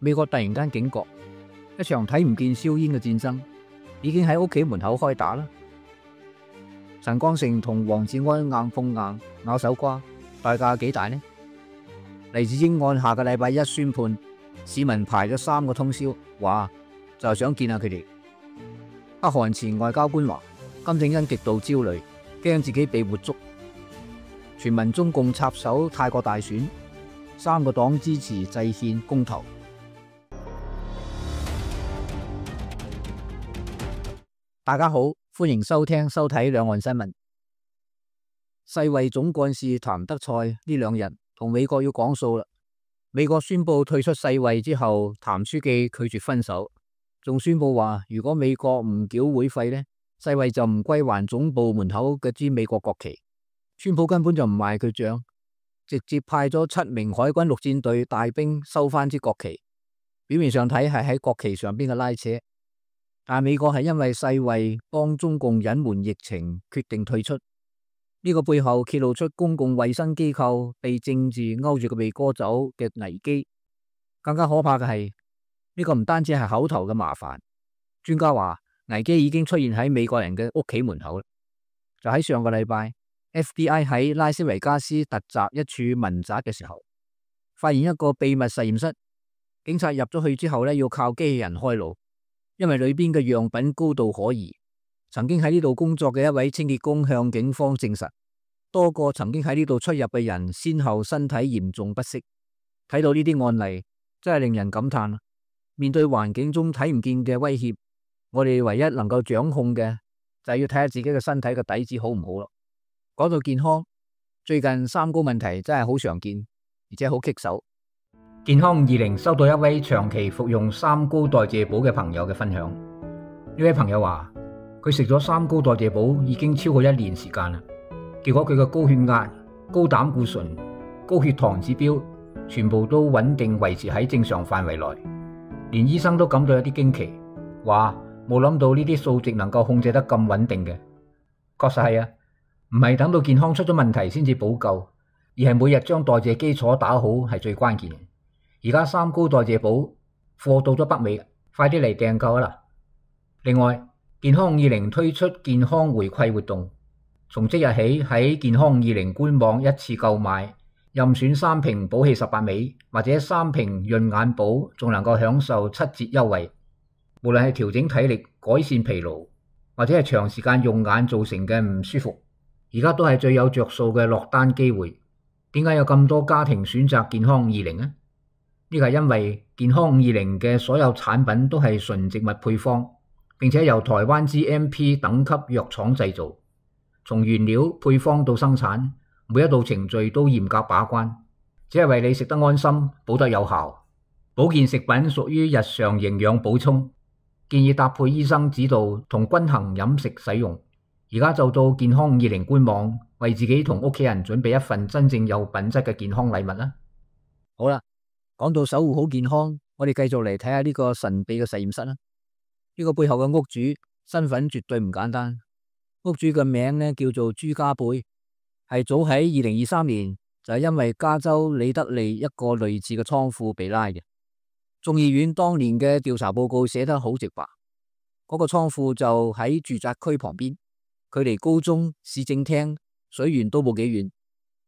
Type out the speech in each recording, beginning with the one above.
美國突然間警覺，一場睇唔見硝煙嘅戰爭已經喺屋企門口開打啦。陳光誠同黃志安硬碰硬咬手瓜，代價幾大呢？黎智英案下個禮拜一宣判，市民排咗3個通宵，話就係想見下佢哋。北韓前外交官話，金正恩極度焦慮，驚自己被活捉。傳聞中共插手泰國大選，3個黨支持制憲公投。大家好，歡迎收聽收睇兩岸新聞。世衛總幹事譚德塞呢2日同美國要講數啦。美國宣布退出世衛之後，譚書記拒絕分手，仲宣布話如果美國唔繳會費呢，世衛就唔歸還總部門口嘅支美國國旗。川普根本就唔賣佢賬，直接派咗7名海軍陸戰隊大兵收翻支國旗。表面上睇係喺國旗上邊嘅拉扯，但美國係因為世衛幫中共隱瞞疫情，決定退出。呢個背後揭露出公共衛生機構被政治勾住個鼻哥走嘅危機。更加可怕嘅係，呢個唔單止係口頭嘅麻煩，專家話危機已經出現喺美國人嘅屋企門口啦。就喺上個禮拜，FBI 喺拉斯維加斯突襲一處民宅嘅時候，發現一個秘密實驗室。警察入咗去之後要靠機器人開路，因為裏邊嘅樣品高度可疑。曾經喺呢度工作嘅一位清潔工向警方證實，多個曾經喺呢度出入嘅人先後身體嚴重不適。睇到呢啲案例，真係令人感嘆。面對環境中睇唔見嘅威脅，我哋唯一能夠掌控嘅就係要睇下自己嘅身體嘅底子好唔好咯。講到健康，最近三高問題真係好常見，而且好棘手。健康520收到一位長期服用三高代謝寶嘅朋友嘅分享。呢位朋友話佢食咗三高代謝寶已經超過1年時間啦，結果佢嘅高血壓、高膽固醇、高血糖指標全部都穩定維持喺正常範圍內，連醫生都感到有啲驚奇，話冇諗到呢啲數值能夠控制得咁穩定嘅。確實係啊，唔係等到健康出咗問題先至補救，而係每日將代謝基礎打好係最關鍵嘅。而家三高代謝寶貨到咗北美，快啲嚟訂購啦！另外，健康520推出健康回饋活動，從即日起喺健康520官網一次購買，任選3瓶補氣18味或者3瓶潤眼寶，仲能夠享受7折優惠。無論係調整體力、改善疲勞，或者係長時間用眼造成嘅唔舒服，而家都係最有着數嘅落單機會。點解有咁多家庭選擇健康520呢？呢個係因為健康520嘅所有產品都係純植物配方，並且由台灣 GMP 等級藥廠製造，從原料配方到生產，每一道程序都嚴格把關，只係為你食得安心，補得有效。保健食品屬於日常營養補充，建議搭配醫生指導同均衡飲食使用。而家就到健康520官網，為自己同屋企人準備一份真正有品質嘅健康禮物啦。好啦，講到守護好健康，我哋繼續嚟睇下呢個神秘嘅實驗室啦。呢個背後嘅屋主身份絕對唔簡單，屋主嘅名呢叫做朱家貝，係早喺2023年就係因為加州里德利一個類似嘅倉庫被拉嘅。眾議院當年嘅調查報告寫得好直白，嗰個倉庫就喺住宅區旁邊，距離高中、市政廳、水源都冇幾遠，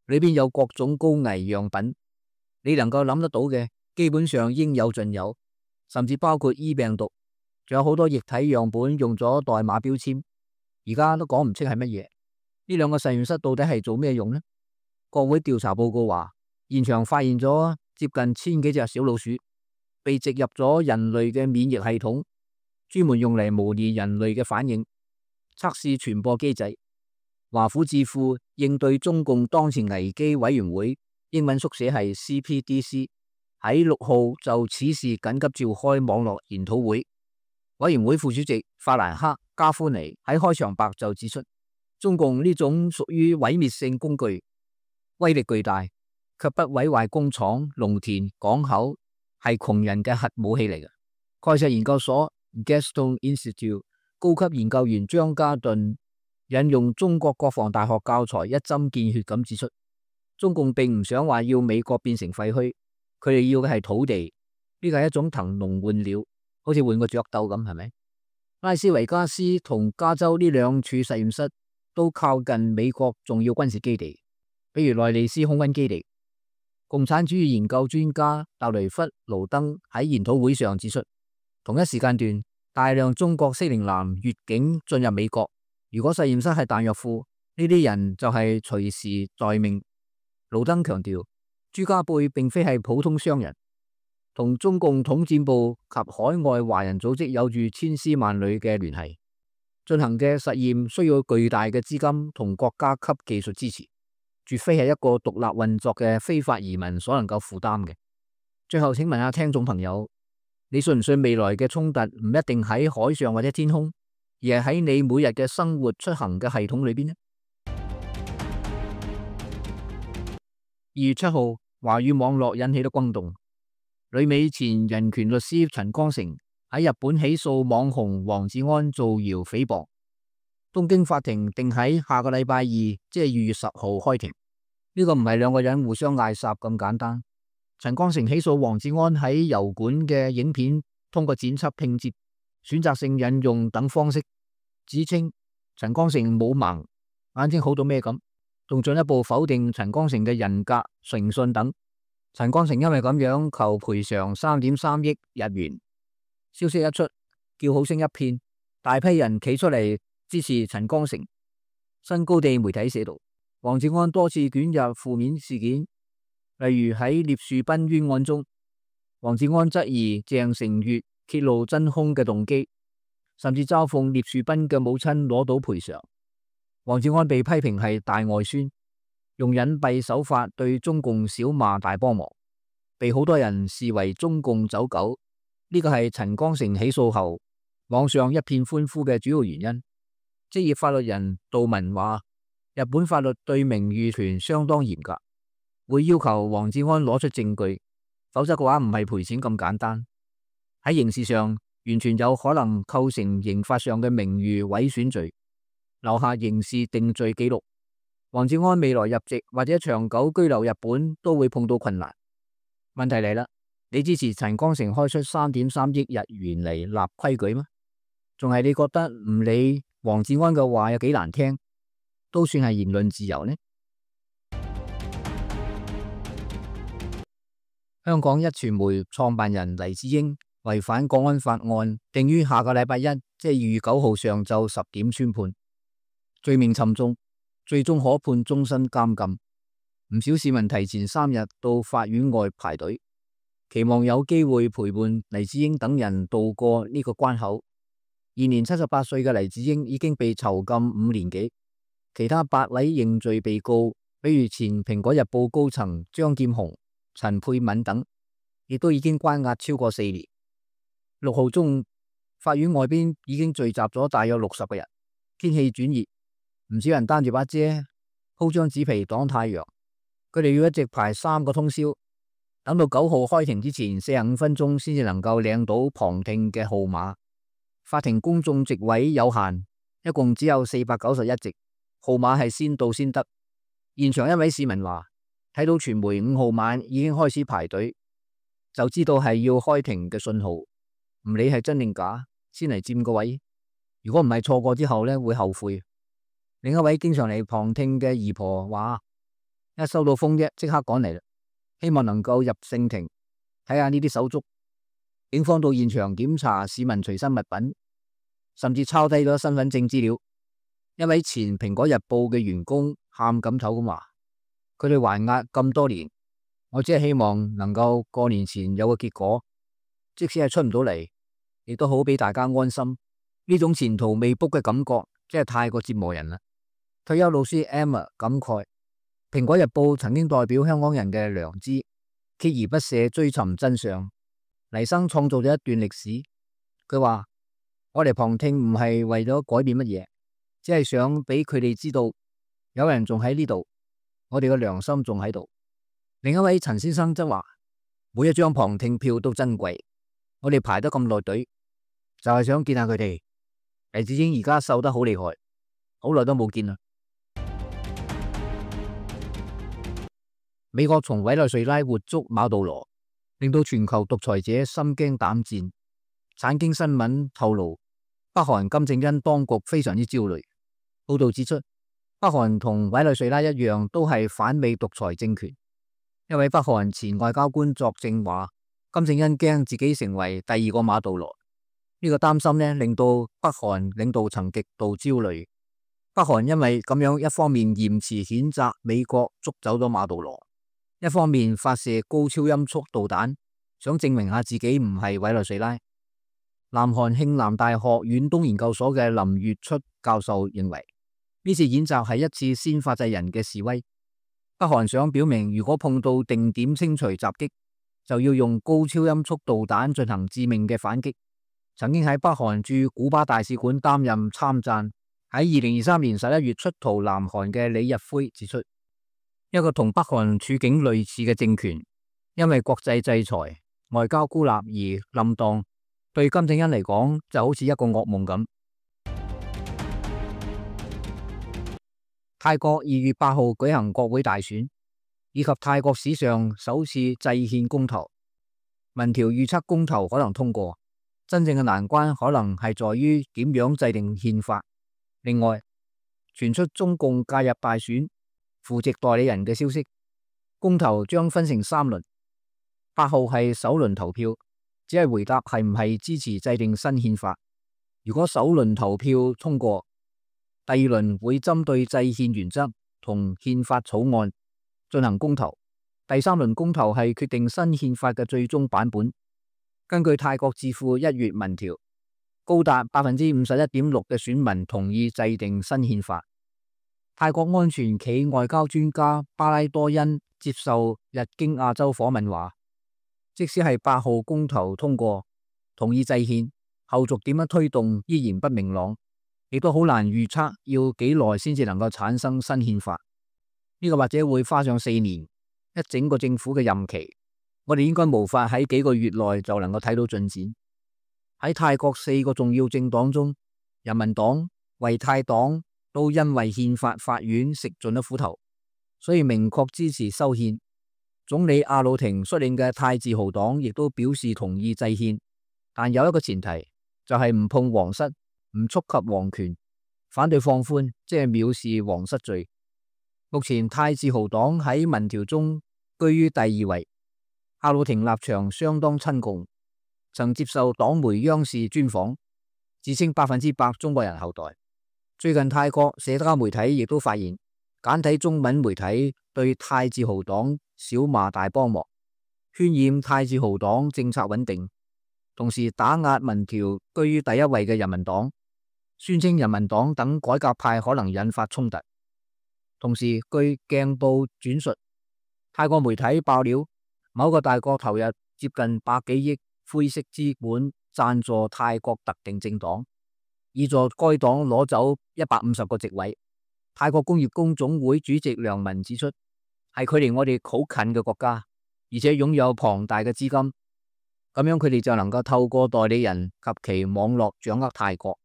裏邊有各種高危樣品。你能夠諗得到嘅，基本上應有盡有，甚至包括 E 病毒，仲有好多液體樣本用咗代碼標籤，而家都講唔清係乜嘢。呢兩個實驗室到底係做咩用呢？國會調查報告話，現場發現咗接近1000幾隻小老鼠，被植入咗人類嘅免疫系統，專門用嚟模擬人類嘅反應，測試傳播機制。華府智庫應對中共當前危機委員會，英文縮寫係 CPDC， 喺6號就此事緊急召開網絡研討會。委員會副主席法蘭克加夫尼喺開場白就指出，中共呢種屬於毀滅性工具，威力巨大，卻不毀壞工廠、農田、港口，係窮人嘅核武器嚟嘅。蓋世研究所 Gaston Institute 高級研究員張家頓引用中國國防大學教材一針見血咁指出，中共並唔想話要美國變成廢墟，佢哋要嘅係土地，呢個係一種騰籠換鳥，好似換個雀鬥咁，係咪？拉斯維加斯同加州呢兩處實驗室都靠近美國重要軍事基地，比如內利斯空軍基地。共產主義研究專家特雷弗盧登喺研討會上指出，同一時間段大量中國適齡男越境進入美國，如果實驗室係彈藥庫，呢啲人就係隨時待命。盧登強調，朱家貝並非係普通商人，同中共統戰部及海外華人組織有住千絲萬縷嘅聯繫，進行嘅實驗需要巨大嘅資金同國家級技術支持，絕非係一個獨立運作嘅非法移民所能夠負擔嘅。最後，請問下聽眾朋友，你信唔信未來嘅衝突唔一定喺海上或者天空，而係喺你每日嘅生活出行嘅系統裏邊呢？2月7號，華語網絡引起咗轟動，旅美前人權律師陳光誠喺日本起訴網紅黃志安造謠誹謗。東京法庭定喺下個禮拜二，即係2月10號開庭。呢個唔係兩個人互相嗌霎咁簡單。陳光誠起訴黃志安喺油管嘅影片通過剪輯拼接、選擇性引用等方式，指稱陳光誠冇盲，眼睛好到咩咁，仲進一步否定陳光誠嘅人格、誠信等。陳光誠因為咁樣求賠償3.3億日元。消息一出，叫好聲一片，大批人企出嚟支持陳光誠。新高地媒體寫道，黃志安多次捲入負面事件，例如喺聶樹斌冤案中，黃志安質疑鄭成月揭露真兇嘅動機，甚至嘲諷聶樹斌嘅母親攞到賠償。黃志安被批評係大外宣，用隱蔽手法對中共小罵大幫忙，被好多人視為中共走狗。呢個係陳光誠起訴後網上一片歡呼嘅主要原因。職業法律人杜文話，日本法律對名譽權相當嚴格，會要求黃志安攞出證據，否則嘅話唔係賠錢咁簡單。喺刑事上完全有可能構成刑法上嘅名譽毀損罪，留下刑事定罪記錄。黃志安未來入籍或者長久居留日本都會碰到困難。問題嚟啦，你支持陳光誠開出3.3億日元嚟立規矩嗎？仲係你覺得唔理黃志安嘅話有幾難聽，都算係言論自由呢？香港壹傳媒創辦人黎智英違反國安法案，定於下個禮拜一，即係2月9號上晝10點宣判，罪名沉重，最終可判終身監禁。唔少市民提前3日到法院外排隊，期望有機會陪伴黎智英等人渡過呢個關口。現年78歲嘅黎智英已經被囚禁5年幾，其他8位認罪被告，比如前蘋果日報高層張劍虹、陳沛敏等，亦都已經關押超過4年。6號中午，法院外邊已經聚集咗大約60個人，天氣轉熱，唔少人擔住把遮，鋪張紙皮擋太陽。佢哋要一直排3個通宵，等到9號開庭之前45分鐘先至能夠領到旁聽嘅號碼。法庭公眾席位有限，一共只有491席，號碼係先到先得。現場一位市民話，睇到傳媒5號晚已經開始排隊，就知道係要開庭嘅信號，唔理係真定假，先嚟佔個位。如果唔係錯過之後呢，會後悔。另一位經常嚟旁聽嘅姨婆話，一收到風啫，即刻趕嚟啦，希望能夠入聖庭睇下呢啲手足。警方到現場檢查市民隨身物品，甚至抄低咗身份證資料。一位前蘋果日報嘅員工喊咁頭咁話，佢哋還押咁多年，我只係希望能夠過年前有個結果，即使係出唔到嚟，亦都好俾大家安心。呢種前途未卜嘅感覺真係太過折磨人啦。退休老師 Emma 感慨，蘋果日報曾經代表香港人嘅良知，鍥而不捨追尋真相。黎生創造咗一段歷史，佢話我哋旁聽唔係為咗改變乜嘢，只係想俾佢哋知道有人仲喺呢度，我哋嘅良心仲喺度。另一位陳先生則話，每一張旁聽票都珍貴，我哋排得咁耐隊，就係想見下佢哋。黎智英而家瘦得好厲害，好耐都冇見啦。美國從委內瑞拉活捉馬杜羅，令到全球獨裁者心驚膽戰。產經新聞透露，北韓金正恩當局非常之焦慮。報道指出，北韓同委內瑞拉一樣，都係反美獨裁政權。一位北韓前外交官作證話，金正恩驚自己成為第二個馬杜羅。呢個擔心呢，令到北韓領導層極度焦慮。北韓因為咁樣，一方面嚴詞譴責美國捉走咗馬杜羅，一方面發射高超音速導彈，想證明下自己唔係委內瑞拉。南韓慶南大學遠東研究所嘅林月出教授認為，呢次演習係一次先發制人嘅示威。北韓想表明，如果碰到定點清除襲擊，就要用高超音速導彈進行致命嘅反擊。曾經喺北韓駐古巴大使館擔任參贊，喺2023年11月出逃南韓嘅李日輝指出，一個同北韓處境類似嘅政權，因為國際制裁、外交孤立而冧檔。對金正恩嚟講，就好似一個噩夢咁。泰國2月8號舉行國會大選，以及泰國史上首次制憲公投。民調預測公投可能通過，真正嘅難關可能係在於點樣制定憲法。另外，傳出中共介入大選、扶植代理人嘅消息。公投將分成3輪，8號係首輪投票。只係回答係唔係支持制定新憲法。如果首輪投票通過，第二輪會針對制憲原則同憲法草案進行公投。第3輪公投係決定新憲法嘅最終版本。根據泰國智庫1月民調，高達51.6%嘅選民同意制定新憲法。泰國安全企外交專家巴拉多恩接受日經亞洲訪問話，即使係8號公投通過，同意制憲，後續點樣推動依然不明朗，亦都好難預測要幾耐先至能夠產生新憲法。呢個或者會花上4年，一整個政府嘅任期。我哋應該無法喺幾個月內就能夠睇到進展。喺泰國4個重要政黨中，人民黨、為泰黨都因為憲法法院食盡咗苦頭，所以明確支持修憲。總理阿魯廷率領嘅泰自豪黨亦都表示同意制憲，但有一個前提，就係唔碰皇室，唔觸及皇權，反對放寬，即係藐視皇室罪。目前泰自豪黨喺民調中居於第2位。阿魯廷立場相當親共，曾接受黨媒央視專訪，自稱100%中國人後代。最近泰國社交媒體亦都發現，簡體中文媒體對泰自豪黨小罵大幫忙，渲染泰自豪黨政策穩定，同時打壓民調居於第1位嘅人民黨，宣稱人民黨等改革派可能引發衝突。同時據鏡報轉述，泰國媒體爆料，某個大國投入接近100幾億灰色資本贊助泰國特定政黨，以助該黨攞走150個席位。泰國工業工總會主席梁文指出，係距離我哋好近嘅國家，而且擁有龐大嘅資金，咁樣佢哋就能夠透過代理人及其網絡掌握泰國。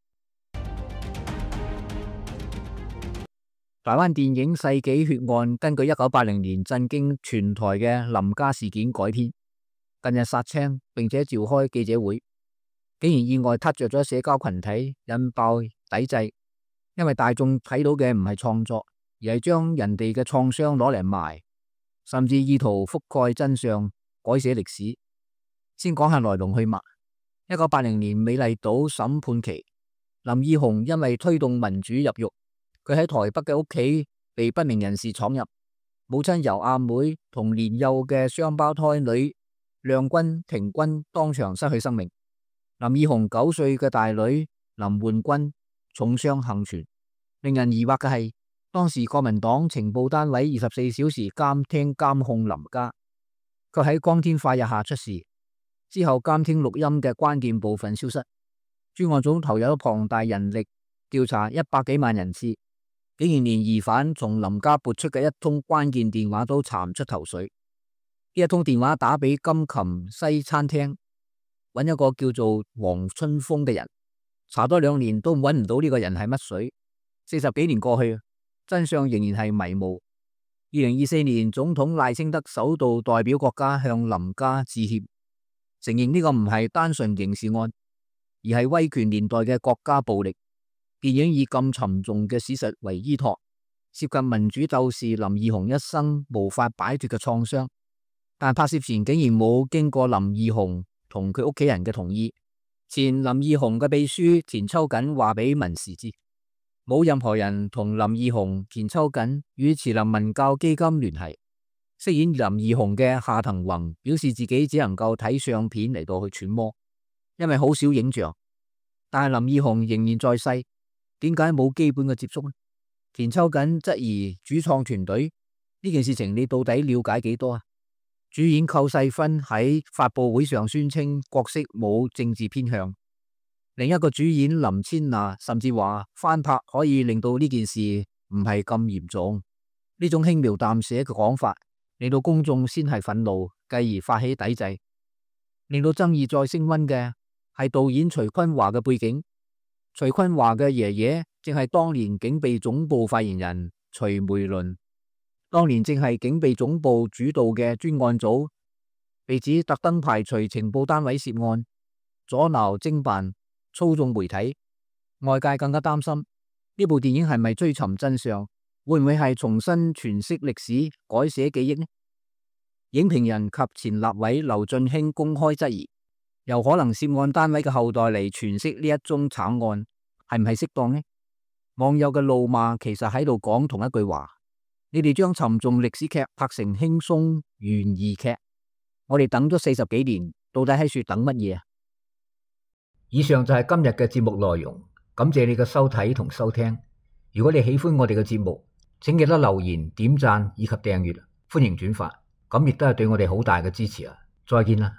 台灣電影《世紀血案》根據1980年震驚全台嘅林家事件改編，近日殺青並且召開記者會，竟然意外撻着咗社交群體，引爆抵制。因為大眾睇到嘅唔係創作，而係將人哋嘅創傷攞嚟賣，甚至意圖覆蓋真相，改寫歷史。先講下來龍去脈。1980年美麗島審判期，林義雄因為推動民主入獄，佢喺台北嘅屋企被不明人士闖入，母親由阿妹同年幼嘅雙胞胎女亮君、庭君當場失去生命。林義雄9歲嘅大女林煥君重傷幸存。令人疑惑嘅係，當時國民黨情報單位24小時監聽監控林家，卻喺光天化日下出事。之後監聽錄音嘅關鍵部分消失，專案組投入咗龐大人力調查100幾萬人次，竟然連疑犯從林家撥出嘅一通關鍵電話都查唔出頭緒。呢一通電話打俾金琴西餐廳，揾一個叫做黃春峰嘅人，查多2年都揾唔到呢個人係乜水。40幾年過去，真相仍然係迷霧。2024年總統賴清德首度代表國家向林家致歉，承認呢個唔係單純刑事案，而係威權年代嘅國家暴力。電影以咁沉重嘅事實為依託，涉及民主鬥士林義雄一生無法擺脫嘅創傷，但拍攝前竟然冇經過林義雄同佢屋企人嘅同意。前林義雄嘅秘書田秋瑾話俾文時知，冇任何人同林義雄、田秋瑾與慈林文教基金聯繫。飾演林義雄嘅夏騰宏表示自己只能夠睇相片嚟到去揣摩，因為好少影像。但係林義雄仍然在世，點解冇基本嘅接觸呢？田秋瑾質疑主創團隊，呢件事情你到底了解幾多啊？主演寇世勳喺發佈會上宣稱角色冇政治偏向，另一個主演林千娜甚至話翻拍可以令到呢件事唔係咁嚴重。呢種輕描淡寫嘅講法令到公眾先係憤怒，繼而發起抵制。令到爭議再升溫嘅係導演徐坤華嘅背景。徐坤華嘅爺爺正係當年警備總部發言人徐梅倫，當年正係警備總部主導嘅專案組被指特登排除情報單位涉案，阻撓偵辦，操縱媒體。外界更加擔心呢部電影係咪追尋真相，會唔會係重新詮釋歷史，改寫記憶呢？影評人及前立委劉俊興公開質疑，由可能涉案單位嘅後代嚟詮釋呢一宗慘案，係唔係適當呢？網友嘅怒罵其實喺度講同一句話：你哋將沉重歷史劇拍成輕鬆懸疑劇，我哋等咗40幾年，到底喺處等乜嘢啊？以上就係今日嘅節目內容，感謝你嘅收睇同收聽。如果你喜歡我哋嘅節目，請記得留言、點讚以及訂閱，歡迎轉發，咁亦都係對我哋好大嘅支持啊！再見啦！